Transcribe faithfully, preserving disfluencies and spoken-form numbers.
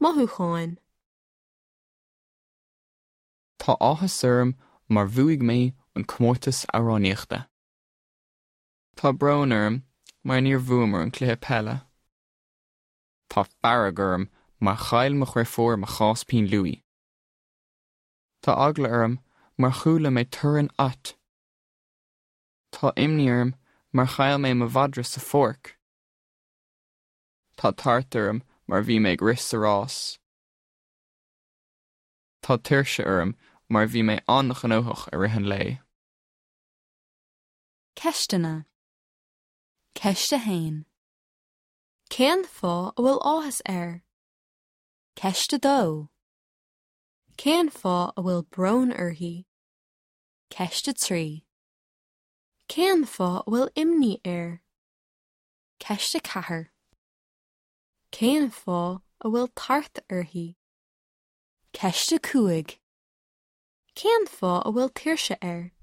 Mothúcháin. Tá áthas orm mar bhuaigh mé an comórtas amhránaíochta. Tá brón orm mar níor bhuamar an cluiche peile. Tá fearg orm mar chaill mo dheirfiúr mo chás pinn luaidhe. Tá eagla orm mar chuala mé torann ait. Tá imní orm mar chaill mé mo mhadra sa pháirc. Tá tart orm mar bhí mé ag rith sa rás. Tá tuirse orm mar bhí mé an-ghnóthach i rith an lae. Ceisteanna. Ceist a haon. Cén fáth a bhfuil áthas air? Ceist a dó. Cén fáth a bhfuil brón uirthi? Ceist a trí. Cén fáth a bhfuil imní air? Ceist a ceathair. Cén fáth a bhfuil tart uirthi? Ceist a cúig. Cén fáth a bhfuil tuirse air?